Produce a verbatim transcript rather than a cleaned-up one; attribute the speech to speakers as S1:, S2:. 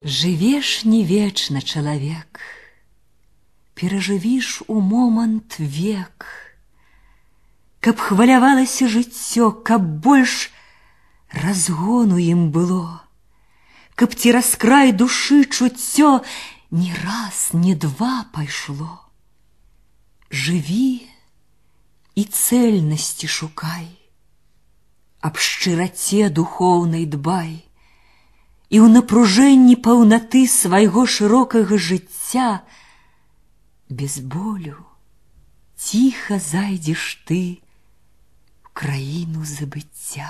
S1: Жывеш не вечна, чалавек, перажывіш у момант век, каб хвалявалася жыццё, каб больш разгону ім было, каб цераз край душы чуццё ні раз, ні два пайшло. Жыві і цэльнасці шукай, аб шчыраце духоўнай дбай, і ў напружэнні паўнаты свайго шырокага жыцця без болю ціха зайдзеш ты ў краіну забыцця.